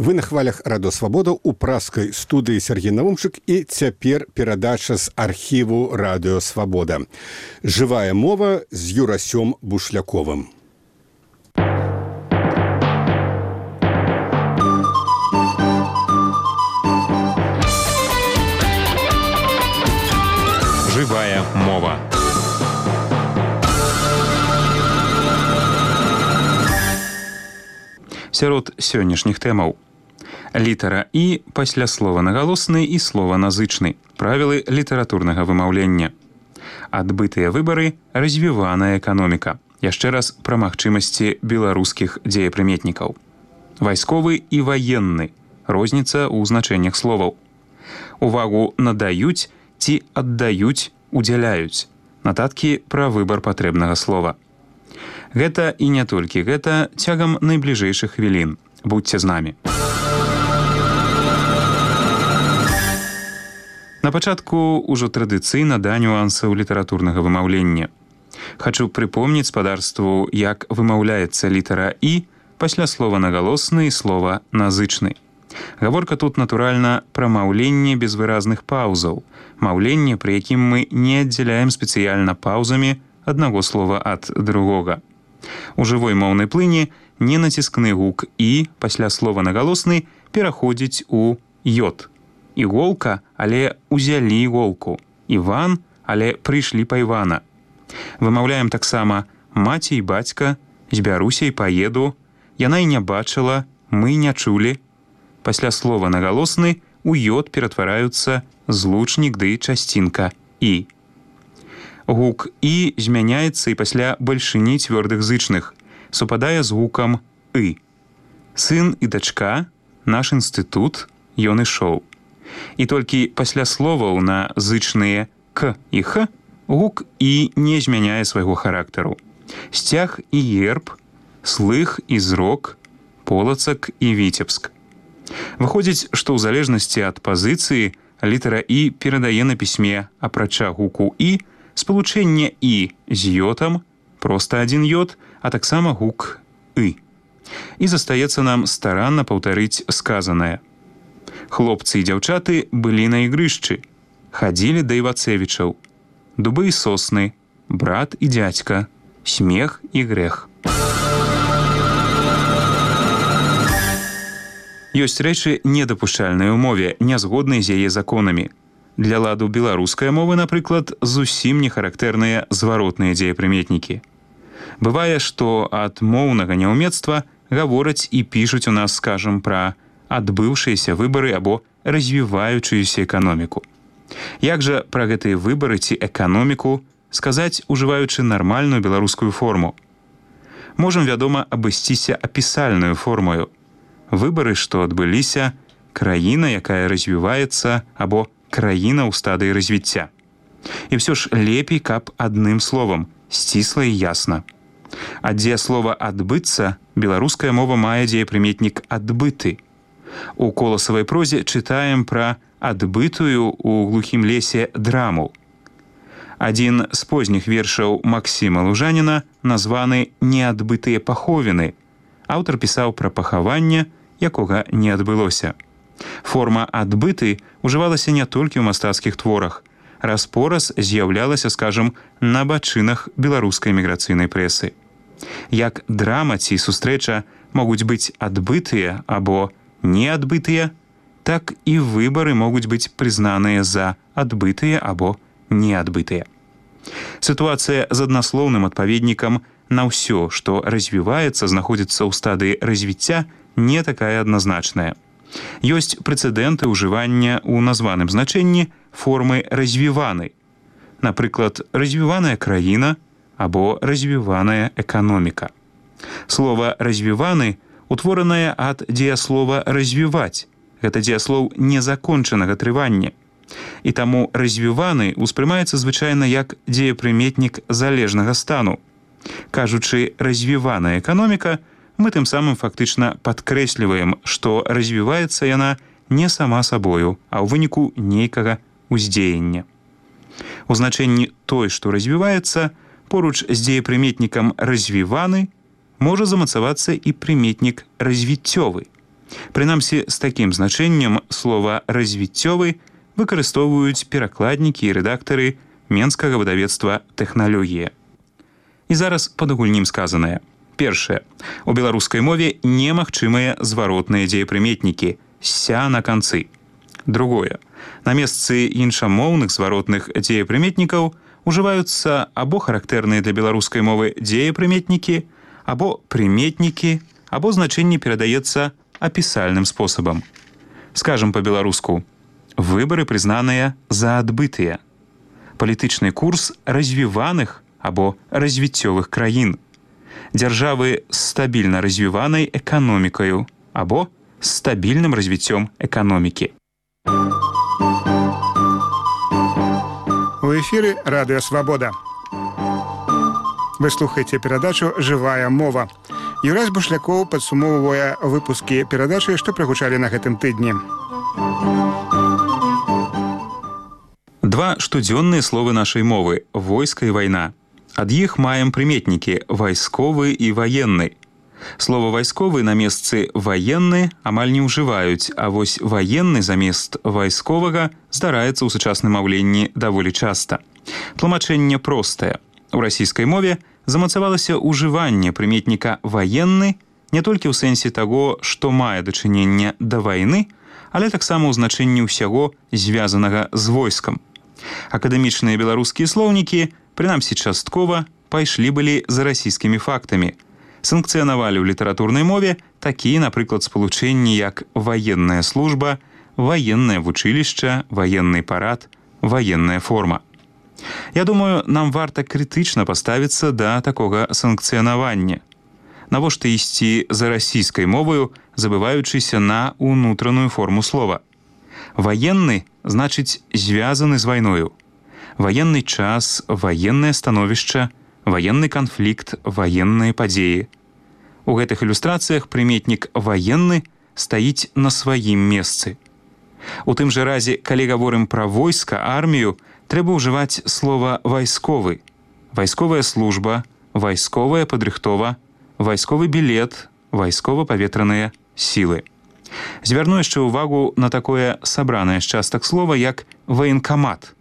Вы на хвалях Радо Свабода у праскай студыі Сергей Навумчык і цяпер перадача з архіву Радыё Свабода. Жывая мова з Юрасём Бушляковым. Жывая мова. Сярод сённяшніх тэмаў. Літара «і» пасля слова нагалосны і слова назычны. Правілы літаратурнага вымаўлення. Адбытыя выбары, развіваная эканоміка. Яшчэ раз пра магчымасці беларускіх дзеепрыметнікаў. Вайсковы і ваенны. Розніца ў значэннях словаў. Увагу надаюць ці аддаюць, удзяляюць. Нататкі пра выбар патрэбнага слова. Гэта і не толькі гэта цягам найбліжэйшых хвілін. Будзьце з намі. На пачатку ўжо традыцыйна да нюансаў літаратурнага вымаўлення. Хачу прыпомніць спадарству, як вымаўляецца літара «і» пасля слова нагалосны і слова назычны. Гаворка тут, натуральна, пра маўленне без выразных паўзаў. Маўленне, пры якім мы не аддзяляем спецыяльна паўзамі аднаго слова ад другога. У жывой моўнай плыні ненаціскны гук «і» пасля слова нагалосны пераходзіць у «йод». Іголка, але узялі іголку. Іван, але прыйшлі па Івана. Вымаўляем таксама «маці і бацька», «збяруся і паеду», «яна і не бачыла», «мы не чулі». Пасля слова нагалосны у «йод» ператвараюцца злучнік ды часцінка «і». Гук «і» змяняецца і пасля бальшыні цвёрдых зычных. Супадае з гукам «ы». Сын і дачка, наш інстытут, ён ішоў. І толькі пасля словаў на зычныя «к» і «х» гук «і» не змяняе свайго характару. Сцяг і герб, слых і зрок, полацак і віцебск. Выходзіць, што ў залежнасці ад пазіцыі літара «і» перадае на пісьме, апрача гуку «і», спалучэнне «і» з йотам, проста адзін йод, а таксама гук «ы». І застаецца нам старанна паўтарыць сказанае. Хлопцы і дзяўчаты былі на ігрышчы, хадзілі да Івацевічаў. Дубы і сосны, брат і дзядзька, смех і грэх. Ёсць рэчы недапушчальныя ў мове, нязгодныя з яе законамі. Для ладу беларускай мовы, напрыклад, зусім не характэрныя зваротныя дзеепрыметнікі. Бывае, што ад моўнага няўмецтва гавораць і пішуць у нас, скажам, пра адбыўшыеся выбары або развіваючуюся эканоміку. Як жа пра гэтыя выбары ці эканоміку сказаць, ужываючы нармальную беларускую форму? Можам, вядома, абысціся апісальнаю формою. Выбары, што адбыліся, краіна, якая развіваецца, або краіна ў стадыі развіцця. І ўсё ж лепей, каб адным словам, сцісла і ясна. А дзе слова «адбыцца» беларуская мова мае дзеепрыметнік «адбыты». У коласавай прозе чытаем пра адбытую ў глухім лесе драму. Адзін з позніх вершаў Максіма Лужаніна названы «Неадбытыя паховіны». Аўтар пісаў пра пахаванне, якога не адбылося. Форма «адбыты» ужывалася не толькі ў мастацкіх творах. Раз-пораз з'яўлялася, скажам, на бачынах беларускай міграцыйнай прэсы. Як драма ці сустрэча могуць быць адбытыя або неадбытыя, так і выбары могуць быць прызнаныя за адбытыя або неадбытыя. Сітуацыя з аднаслоўным адпаведнікам на ўсё, што развіваецца, знаходзіцца ў стадыі развіцця, не такая адназначная. Ёсць прэцэдэнты ўжывання ў названым значэнні формы развіваны. Напрыклад, развіваная краіна або развіваная эканоміка. Слова «развіваны» утворанае ад дзеяслова «развіваць». Гэта дзеяслоў незакончанага трывання. І таму «развіваны» успрымаецца звычайна як дзеепрыметнік залежнага стану. Кажучы «развіваная эканоміка», мы тым самым фактычна падкрэсліваем, што развіваецца яна не сама сабою, а ў выніку нейкага ўздзеяння. У значэнні «той, што развіваецца» поруч з дзеепрыметнікам «развіваны» можа замацавацца і прыметнік «развіццёвы». Прынамсі, з такім значэннем слова «развіццёвы» выкарыстоўваюць перакладнікі і рэдактары менскага выдавецтва «Тэхналогія». І зараз падагульнім сказанае. Першае. У беларускай мове немагчымыя зваротныя дзеепрыметнікі «ся» на канцы. Другое. На месцы іншамоўных зваротных дзеепрыметнікаў ужываюцца або характэрныя для беларускай мовы дзеепрыметнікі, або прыметнікі, або значэнне перадаецца апісальным спосабам. Скажам па-беларуску. Выбары прызнаныя за адбытыя. Палітычны курс развіваных або развіццёвых краін. Дзяржавы з стабільна развіванай эканомікаю або з стабільным развіццём эканомікі. У эфіры Радыё Свабода. Вы слухаеце перадачу «Жывая мова». Юрась Бушлякоў падсумоўвае выпускі перадачы, што прагучалі на гэтым тыдні. Два штодзённыя словы нашай мовы – войска і вайна. Ад іх маем прыметнікі «вайсковы» і «ваенны». Слова «вайсковы» на месцы «ваенны» амаль не ўжываюць, а вось «ваенны» замест «вайсковага» здараецца ў сучасным маўленні даволі часта. Тлумачэнне простае. У расійскай мове замацавалася ўжыванне прыметніка «ваенны» не толькі ў сэнсе таго, што мае дачыненне да вайны, але таксама ў значэнні ўсяго, звязанага з войскам. Акадэмічныя беларускія слоўнікі, прынамсі часткова, пайшлі былі за расійскімі фактамі. Санкцыянавалі ў літаратурнай мове такія, напрыклад, спалучэнні, як ваенная служба, ваеннае вучылішча, ваенны парад, ваенная форма. Я думаю, нам варта крытычна паставіцца да такога санкцыянавання. Навошта ісці за расійскай моваю, забываючыся на ўнутраную форму слова? Ваенны значыць звязаны з вайною. Ваенны час, ваеннае становішча, ваенны канфлікт, ваенныя падзеі. У гэтых ілюстрацыях прыметнік «ваенны» стаіць на сваім месцы. У тым жа разе, калі гаворым пра войска, армію, трэба ўжываць слова «вайсковы». Вайсковая служба, вайсковая падрыхтова, вайсковы білет, вайскова-паветраныя сілы. Звярну яшчэ ўвагу на такое сабранае з частак слова, як «ваенкамат».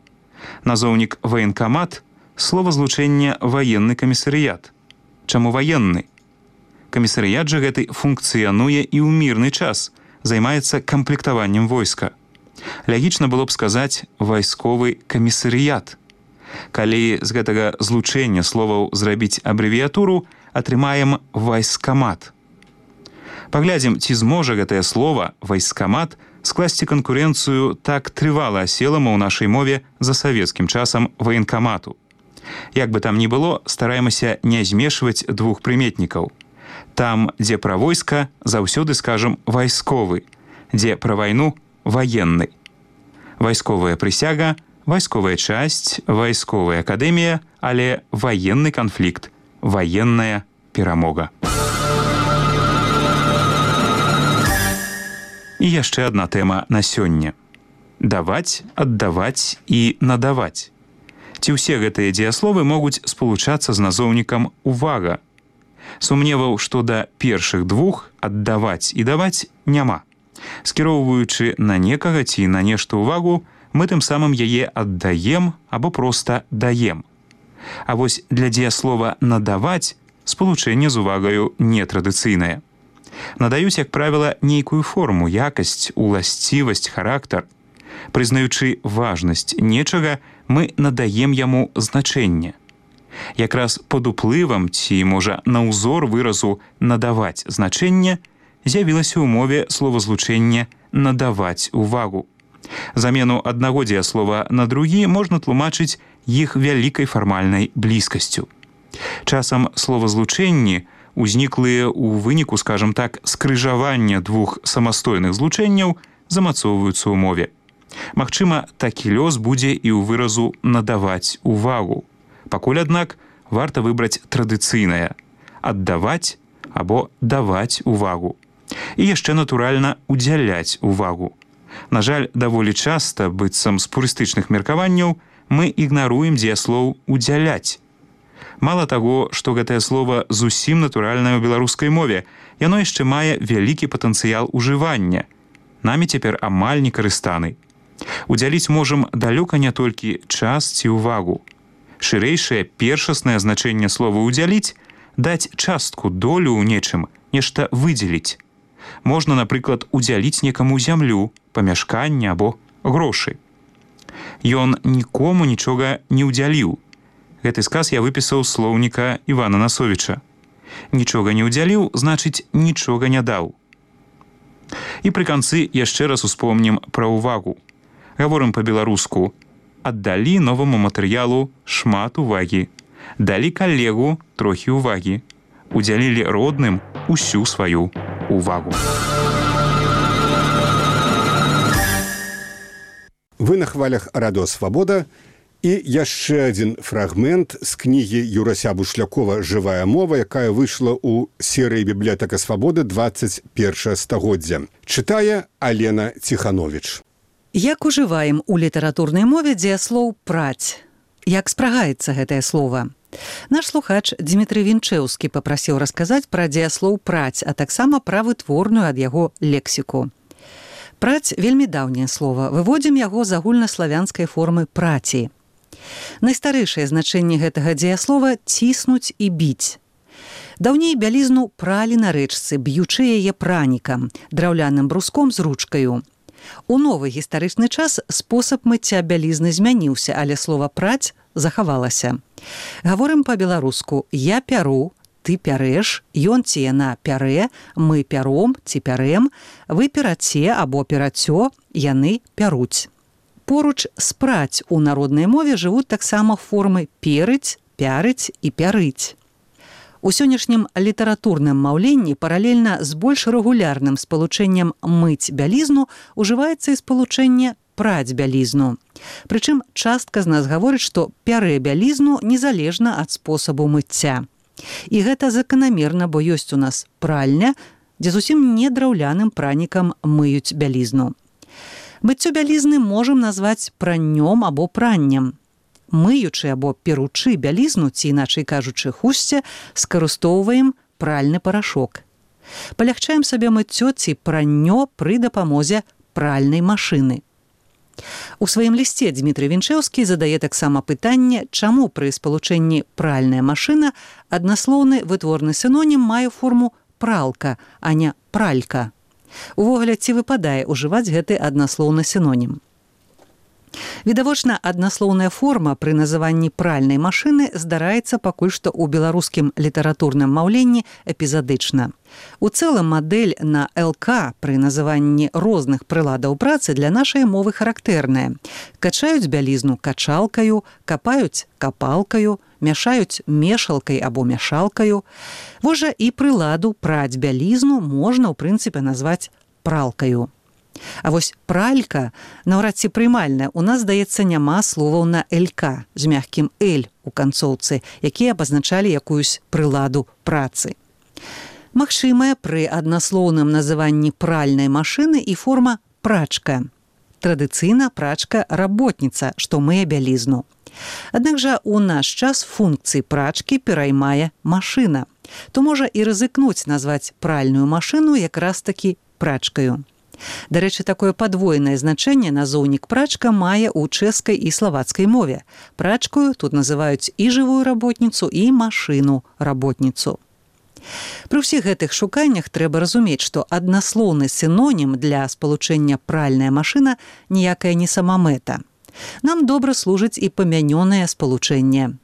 Назоўнік «ваенкамат» – словазлучэнне «ваенны камісарыят». Чаму ваенны? Камісарыят жа гэты функцыянуе і ў мірны час, займаецца камплектаваннем войска. Лягічна было б сказаць «вайсковы камісарыят». Калі з гэтага злучэння словаў зрабіць абрэвіятуру, атрымаем «вайскамат». Паглядзім, ці зможа гэтае слова «вайскамат» скласці канкурэнцыю так трывала аселаму ў нашай мове за савецкім часам ваенкамату. Як бы там ні было, стараемся не змешваць двух прыметнікаў. Там, дзе пра войска, заўсёды скажам «вайсковы», дзе пра вайну – «ваенны». Вайсковая прысяга, вайсковая часць, вайсковая акадэмія, але ваенны канфлікт, ваенная перамога. І яшчэ адна тэма на сёння. Даваць, аддаваць і надаваць. Ці ўсе гэтыя дзеясловы могуць спалучацца з назоўнікам «увага». Сумневаў, што да першых двух «аддаваць» і «даваць» няма. Скіроўваючы на некага ці на нешта ўвагу, мы тым самым яе аддаем або проста даем. А вось для дзеяслова «надаваць» спалучэнне з увагаю нетрадыцыйнае. Надаюць, як правіла, нейкую форму, якасць, уласцівасць, характар. Прызнаючы важнасць нечага, мы надаем яму значэнне. Якраз пад уплывам ці, можа, на ўзор выразу «надаваць» значэнне з'явілася ў мове словазлучэнне «надаваць увагу». Замену аднаго дзеяслова на другі можна тлумачыць іх вялікай фармальнай блізкасцю. Часам словазлучэнні узніклыя ў выніку, скажам так, скрыжавання двух самастойных злучэнняў замацоўваюцца ў мове. Магчыма, такі лёс будзе і ў выразу «надаваць увагу». Пакуль, аднак, варта выбраць традыцыйнае – аддаваць або даваць увагу. І яшчэ, натуральна, удзяляць увагу. На жаль, даволі часта, быццам з пурыстычных меркаванняў, мы ігнаруем дзеяслоў «удзяляць». Мала таго, што гэтае слова зусім натуральнае ў беларускай мове, яно яшчэ мае вялікі патэнцыял ужывання. Намі цяпер амаль не карыстаны. Удзяліць можам далёка не толькі час ці ўвагу. Шырэйшае першаснае значэнне слова «удзяліць» – даць частку, долю ў нечым, нешта выдзеліць. Можна, напрыклад, удзяліць некаму зямлю, памяшканне або грошы. Ён нікому нічога не ўдзяліў. Гэты сказ я выпісаў з слоўніка Івана Насовіча. Нічога не ўдзяліў, значыць, нічога не даў. І пры канцы яшчэ раз успомнім пра ўвагу. Гаворым па-беларуску: аддалі новаму матэрыялу шмат увагі, далі калегу трохі ўвагі, удзялілі родным усю сваю увагу. Вы на хвалях Радыё Свабода. І яшчэ адзін фрагмент з кнігі Юрася Бушлякова «Жывая мова», якая выйшла ў серыі «Бібліятэка Свабоды» 21 стагоддзя. Чытае Алена Ціхановіч. Як ужываем у літаратурнай мове дзеяслоў «праць»? Як спрагаецца гэтае слова? Наш слухач Дмітрый Вінчэўскі папрасіў расказаць пра дзеяслоў «праць», а таксама пра вытворную ад яго лексіку. Праць – вельмі даўняе слова. Выводзім яго з агульнаславянскай формы праці. Найстарэйшае значэнне гэтага дзеяслова – ціснуць і біць. Даўней бялізну пралі на рэчцы, б'ючы яе пранікам, драўляным бруском з ручкаю. У новы гістарычны час спосаб мыцця бялізны змяніўся, але слова «праць» захавалася. Гаворым па-беларуску: я пяру, ты пярэш, ён ці яна пярэ, мы пяром ці пярэм, вы пераце або перацё, яны пяруць. Поруч з «праць» у народнай мове жывуць таксама формы «перыць», «пярыць» і «пярыць». У сённяшнім літаратурным маўленні паралельна з больш рэгулярным спалучэннем «мыць бялізну» ужываецца і спалучэнне «праць бялізну». Прычым частка з нас гаворыць, што пярэ бялізну незалежна ад спосабу мыцця. І гэта заканамерна, бо ёсць у нас пральня, дзе зусім не драўляным пранікам мыюць бялізну. Мыццё бялізны можам назваць праннём або праннем. Мыючы або перучы бялізну, ці іначай кажучы хусце, скарыстоўваем пральны парашок. Палягчаем сабе мыццё ці праннё пры дапамозе пральнай машыны. У сваім лісце Дмітрый Вінчэўскі задае таксама пытанне, чаму пры спалучэнні пральная машына аднаслоўны вытворны сінонім мае форму пралка, а не пралька. Увогуле, ці выпадае ўжываць гэты аднаслоўны сінонім? Відавочна, аднаслоўная форма пры называнні пральнай машыны здараецца пакуль што ў беларускім літаратурным маўленні эпізадычна. У цэлым мадэль на ЛК пры называнні розных прыладаў працы для нашай мовы характэрная. Качаюць бялізну качалкаю, капаюць капалкаю, мяшаюць мешалкай або мяшалкаю. Вось жа і прыладу праць бялізну можна, ў прынцыпе, назваць пралкаю. А вось пралька наўрад ці прымальная. У нас, здаецца, няма словаў на «ЛК» з мягкім «Л» у канцоўцы, якія абазначалі якуюсь прыладу працы. Магчымая пры аднаслоўным называнні пральнай машыны і форма «прачка». Традыцыйна прачка-работніца, што мые бялізну. Аднак жа у наш час функцыі прачкі пераймае машына. То можа і рызыкнуць назваць пральную машыну якраз-такі прачкаю. Дарэчы, такое падвойнае значэнне назоўнік прачка мае ў чэшскай і славацкай мове. Прачкаю тут называюць і жывую работніцу, і машыну-работніцу. Пры ўсіх гэтых шуканнях трэба разумець, што аднаслоўны сінонім для спалучэння пральная машына ніякая не самамэта. Нам добра служыць і памянёнае спалучэнне.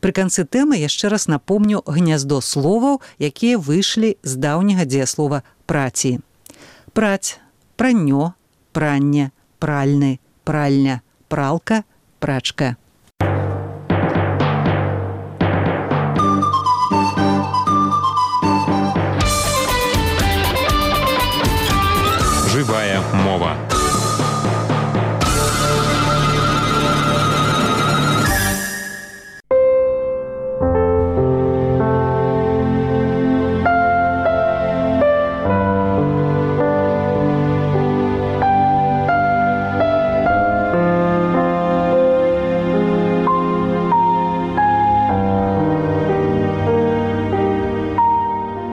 Пры канцы тэмы яшчэ раз напомню гняздо словаў, якія выйшлі з даўняга дзеяслова «праці». Праць, праннё, пранне, пральны, пральня, пралка, прачка.